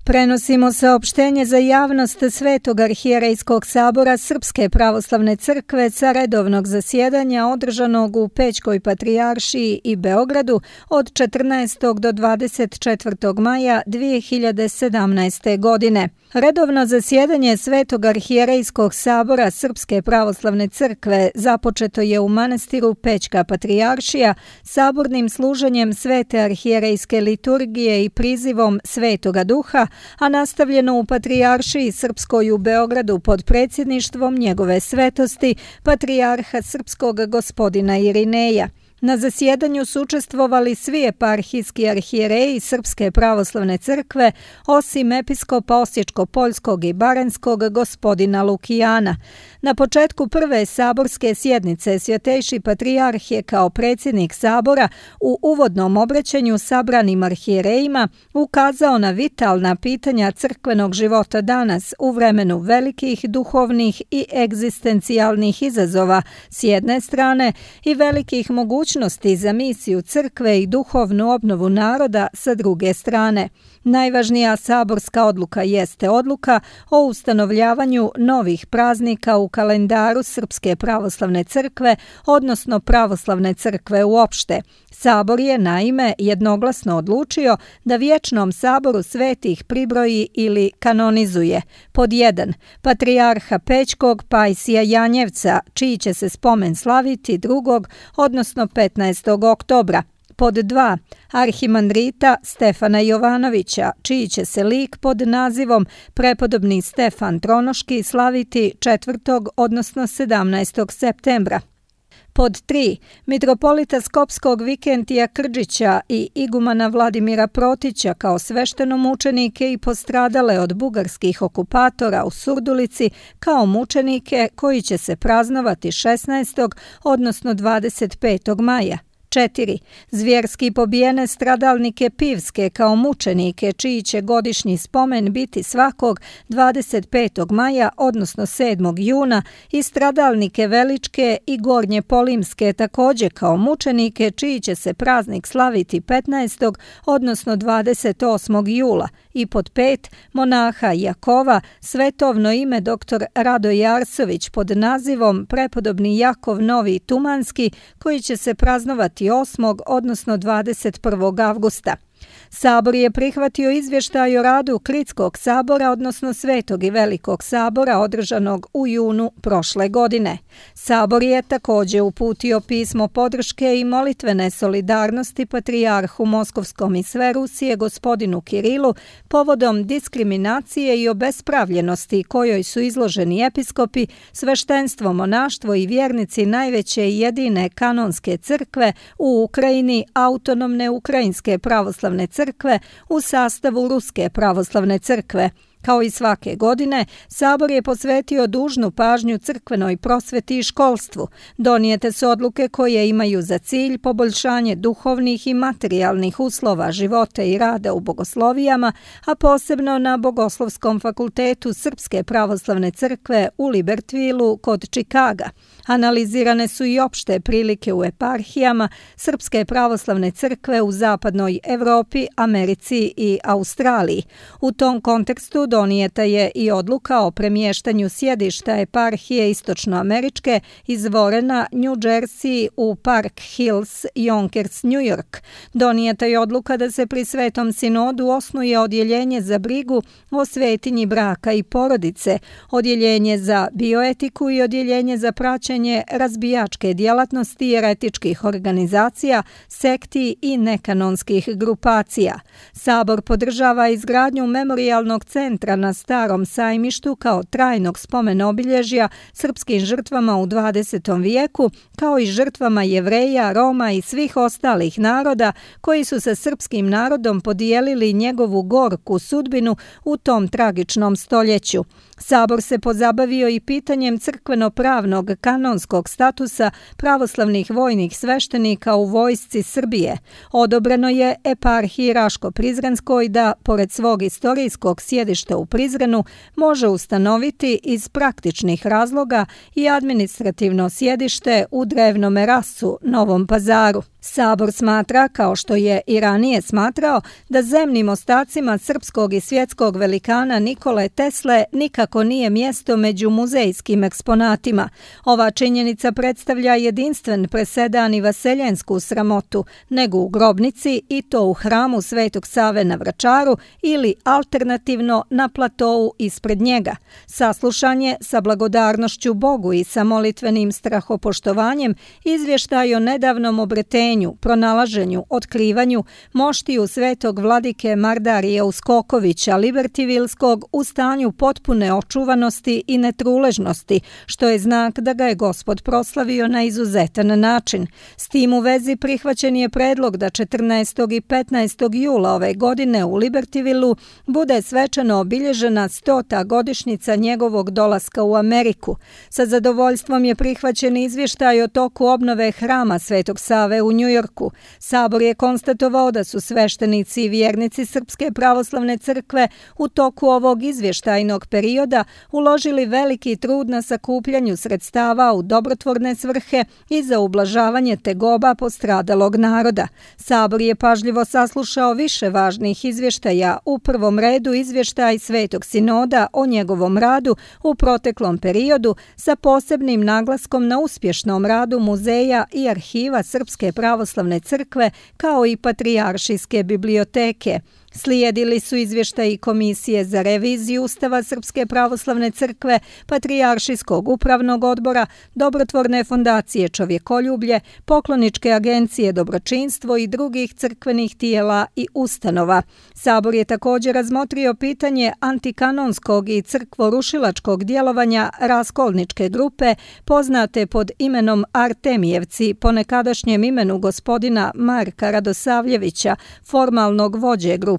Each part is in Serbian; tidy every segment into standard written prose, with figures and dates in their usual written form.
Prenosimo saopštenje za javnost Svetog arhijerejskog sabora Srpske pravoslavne crkve sa redovnog zasjedanja održanog u Pećkoj patrijaršiji i Beogradu od 14. do 24. maja 2017. godine. Redovno zasjedanje Svetog arhijerejskog sabora Srpske pravoslavne crkve započeto je u manastiru Pećka patrijaršija sabornim služenjem Svete arhijerejske liturgije i prizivom Svetoga Duha, a nastavljeno u Patrijaršiji Srpskoj u Beogradu pod predsjedništvom njegove svetosti, patrijarha Srpskog gospodina Irineja. Na zasjedanju su učestvovali svi eparhijski arhijereji Srpske pravoslavne crkve, osim episkopa Osječko-Poljskog i Baranjskog gospodina Lukijana. Na početku prve saborske sjednice Svjetejši patrijarh je kao predsjednik sabora u uvodnom obraćanju sabranim arhijerejima ukazao na vitalna pitanja crkvenog života danas u vremenu velikih duhovnih i egzistencijalnih izazova s jedne strane i velikih mogućnosti za misiju crkve i duhovnu obnovu naroda sa druge strane. Najvažnija saborska odluka jeste odluka o ustanovljavanju novih praznika u kalendaru Srpske pravoslavne crkve, odnosno pravoslavne crkve uopšte. Sabor je naime jednoglasno odlučio da vječnom saboru svetih pribroji ili kanonizuje pod 1. Patrijarha Pećkog Pajsija Janjevca, čiji će se spomen slaviti 2. odnosno 15. oktobra. Pod 2. Arhimandrita Stefana Jovanovića, čiji će se lik pod nazivom Prepodobni Stefan Tronoški slaviti 4. odnosno 17. septembra. Pod 3. Mitropolita Skopskog Vikentija Krđića i igumana Vladimira Protića kao sveštenomučenike i postradale od bugarskih okupatora u Surdulici kao mučenike koji će se praznovati 16. odnosno 25. maja. 4. Zvjerski pobijene stradalnike Pivske kao mučenike, čiji će godišnji spomen biti svakog 25. maja, odnosno 7. juna, i stradalnike Veličke i Gornje Polimske također kao mučenike, čiji će se praznik slaviti 15. odnosno 28. jula. I pod 5. monaha Jakova, svetovno ime dr. Radoje Arsović pod nazivom Prepodobni Jakov Novi Tumanski, koji će se praznovati 8. odnosno 21. avgusta. Sabor je prihvatio izvještaj o radu Klitskog sabora, odnosno Svetog i Velikog sabora održanog u junu prošle godine. Sabor je također uputio pismo podrške i molitvene solidarnosti patrijarhu Moskovskom i sve Rusije gospodinu Kirilu povodom diskriminacije i obespravljenosti kojoj su izloženi episkopi, sveštenstvo, monaštvo i vjernici najveće i jedine kanonske crkve u Ukrajini, autonomne Ukrajinske pravoslavne crkve u sastavu Ruske pravoslavne crkve. Kao i svake godine, Sabor je posvetio dužnu pažnju crkvenoj prosveti i školstvu. Donijete su odluke koje imaju za cilj poboljšanje duhovnih i materijalnih uslova života i rada u bogoslovijama, a posebno na Bogoslovskom fakultetu Srpske pravoslavne crkve u Libertvilu kod Čikaga. Analizirane su i opšte prilike u eparhijama Srpske pravoslavne crkve u zapadnoj Evropi, Americi i Australiji. U tom kontekstu donijeta je i odluka o premještanju sjedišta eparhije istočnoameričke iz Warrena, New Jersey u Park Hills, Yonkers, New York. Donijeta je odluka da se pri Svetom sinodu osnuje odjeljenje za brigu o svetinji braka i porodice, odjeljenje za bioetiku i odjeljenje za praćenje razbijačke djelatnosti jeretičkih organizacija, sekti i nekanonskih grupacija. Sabor podržava izgradnju memorijalnog centra na Starom sajmištu kao trajnog spomena obilježja srpskim žrtvama u 20. vijeku, kao i žrtvama Jevreja, Roma i svih ostalih naroda koji su sa srpskim narodom podijelili njegovu gorku sudbinu u tom tragičnom stoljeću. Sabor se pozabavio i pitanjem crkveno-pravnog kanonskog statusa pravoslavnih vojnih sveštenika u vojsci Srbije. Odobreno je eparhiji Raško-Prizrenskoj da, pored svog istorijskog sjedišta sjedište u Prizrenu može ustanoviti iz praktičnih razloga i administrativno sjedište u Drevnome Rasu, Novom Pazaru. Sabor smatra, kao što je i ranije smatrao, da zemnim ostacima srpskog i svjetskog velikana Nikole Tesle nikako nije mjesto među muzejskim eksponatima. Ova činjenica predstavlja jedinstven presedan i vaseljensku sramotu, nego u grobnici i to u hramu Svetog Save na Vračaru ili alternativno na platou ispred njega. Saslušanje sa blagodarnošću Bogu i sa molitvenim strahopoštovanjem izvještaj o nedavnom obretenju, pronalaženju, otkrivanju moštiju svetog vladike Mardarija Uskokovića Libertivilskog u stanju potpune očuvanosti i netruležnosti, što je znak da ga je Gospod proslavio na izuzetan način. S tim u vezi prihvaćen je predlog da 14. i 15. jula ove godine u Libertivilu bude svečano obilježena 100. godišnjica njegovog dolaska u Ameriku. Sa zadovoljstvom je prihvaćen izvještaj o toku obnove hrama Svetog Save u Njujorku. Sabor je konstatovao da su sveštenici i vjernici Srpske pravoslavne crkve u toku ovog izvještajnog perioda uložili veliki trud na sakupljanju sredstava u dobrotvorne svrhe i za ublažavanje tegoba postradalog naroda. Sabor je pažljivo saslušao više važnih izvještaja, u prvom redu izvještaj Svetog Sinoda o njegovom radu u proteklom periodu sa posebnim naglaskom na uspješnom radu muzeja i arhiva Srpske pravoslavne crkve kao i Patrijaršijske biblioteke. Slijedili su izvještaji Komisije za reviziju Ustava Srpske pravoslavne crkve, Patrijaršijskog upravnog odbora, Dobrotvorne fondacije Čovjekoljublje, Pokloničke agencije Dobročinstvo i drugih crkvenih tijela i ustanova. Sabor je također razmotrio pitanje antikanonskog i crkvorušilačkog djelovanja raskolničke grupe, poznate pod imenom Artemijevci, po nekadašnjem imenu gospodina Marka Radosavljevića, formalnog vođe grupe.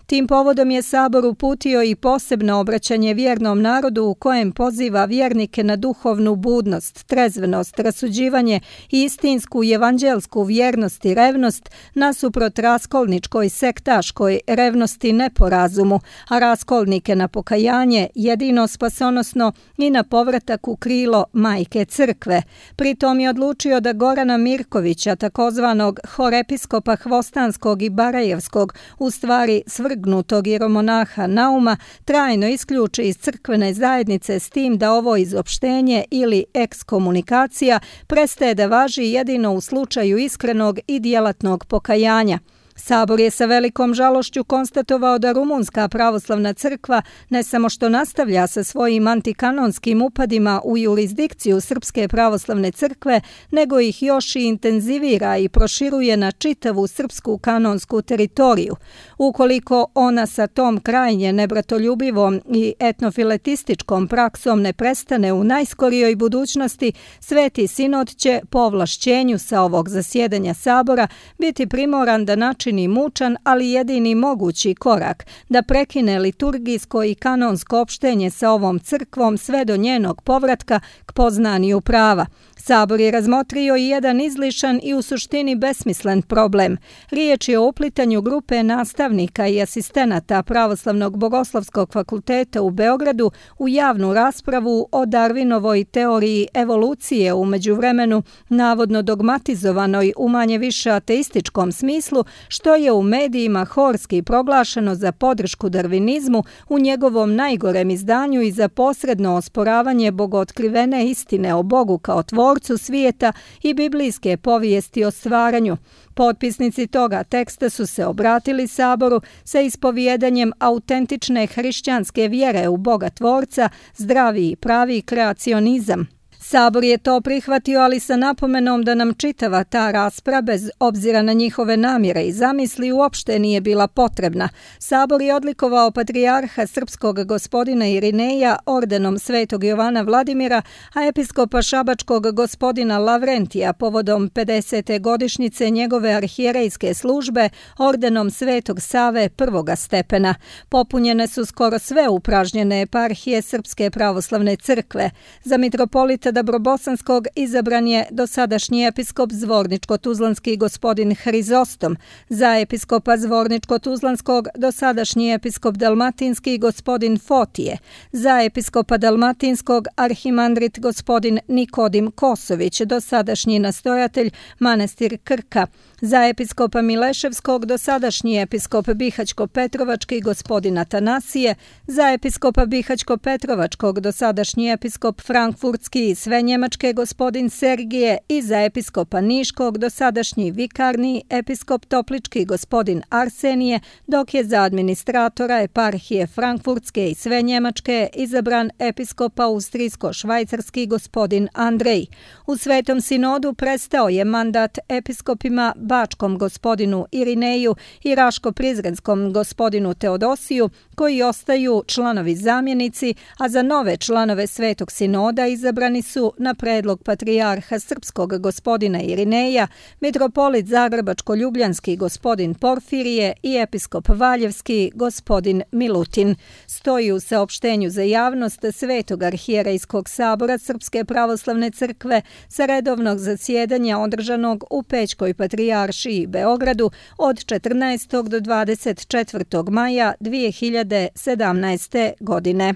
Tim povodom je Sabor uputio i posebno obraćanje vjernom narodu u kojem poziva vjernike na duhovnu budnost, trezvenost, rasuđivanje i istinsku evanđelsku vjernost i revnost nasuprot raskolničkoj sektaškoj revnosti neporazumu, a raskolnike na pokajanje, jedino spasonosno i na povratak u krilo Majke Crkve. Pritom je odlučio da Gorana Mirkovića, takozvanog horepiskopa Hvostanskog i Barajevskog, u stvari svrgnutog jeromonaha Nauma, trajno isključi iz crkvene zajednice s tim da ovo izopštenje ili ekskomunikacija prestaje da važi jedino u slučaju iskrenog i djelatnog pokajanja. Sabor je sa velikom žalošću konstatovao da Rumunska pravoslavna crkva ne samo što nastavlja sa svojim antikanonskim upadima u jurisdikciju Srpske pravoslavne crkve, nego ih još i intenzivira i proširuje na čitavu srpsku kanonsku teritoriju. Ukoliko ona sa tom krajnje nebratoljubivom i etnofiletističkom praksom ne prestane u najskorijoj budućnosti, Sveti Sinod će po ovlašćenju sa ovog zasjedanja Sabora biti primoran da načini mučan, ali jedini mogući korak, da prekine liturgijsko i kanonsko opštenje sa ovom crkvom sve do njenog povratka k poznanju prava. Sabor je razmotrio i jedan izlišan i u suštini besmislen problem. Riječ je o uplitanju grupe nastavnika i asistenata Pravoslavnog bogoslovskog fakulteta u Beogradu u javnu raspravu o Darwinovoj teoriji evolucije u međuvremenu navodno dogmatizovanoj u manje više ateističkom smislu, što je u medijima horski proglašeno za podršku darvinizmu u njegovom najgorem izdanju i za posredno osporavanje bogootkrivene istine o Bogu kao tvorcu svijeta i biblijske povijesti o stvaranju. Potpisnici toga teksta su se obratili Saboru sa ispovjedanjem autentične hrišćanske vjere u Boga tvorca, zdravi i pravi kreacionizam. Sabor je to prihvatio, ali sa napomenom da nam čitava ta rasprava, bez obzira na njihove namjere i zamisli, uopšte nije bila potrebna. Sabor je odlikovao patrijarha srpskog gospodina Irineja ordenom Svetog Jovana Vladimira, a episkopa šabačkog gospodina Lavrentija povodom 50. godišnjice njegove arhijerejske službe ordenom Svetog Save prvoga stepena. Popunjene su skoro sve upražnjene eparhije Srpske pravoslavne crkve. Za mitropolita Dabrobosanskog izabran je dosadašnji episkop Zvorničko-Tuzlanski gospodin Hrizostom, za episkopa Zvorničko-Tuzlanskog dosadašnji episkop Dalmatinski gospodin Fotije, za episkopa Dalmatinskog arhimandrit gospodin Nikodim Kosović, dosadašnji nastojatelj manastir Krka, za episkopa Mileševskog dosadašnji episkop Bihaćko-Petrovački gospodin Atanasije, za episkopa Bihaćko-Petrovačkog dosadašnji episkop Frankfurtski i Svenjemačke gospodin Sergije i za episkopa Niškog dosadašnji vikarni episkop Toplički gospodin Arsenije, dok je za administratora eparhije Frankfurtske i Svenjemačke izabran episkop Austrijsko-švajcarski gospodin Andrej. U Svetom sinodu prestao je mandat episkopima Bačkom gospodinu Irineju i Raško-Prizrenskom gospodinu Teodosiju, koji ostaju članovi zamjenici, a za nove članove Svetog sinoda izabrani su na predlog patrijarha srpskog gospodina Irineja, mitropolit Zagrebačko-ljubljanski gospodin Porfirije i episkop Valjevski gospodin Milutin. Stoji u saopštenju za javnost Svetog arhijerejskog sabora Srpske pravoslavne crkve sa redovnog zasjedanja održanog u Pećkoj patrijaršiji Beogradu od 14. do 24. maja 2017. godine.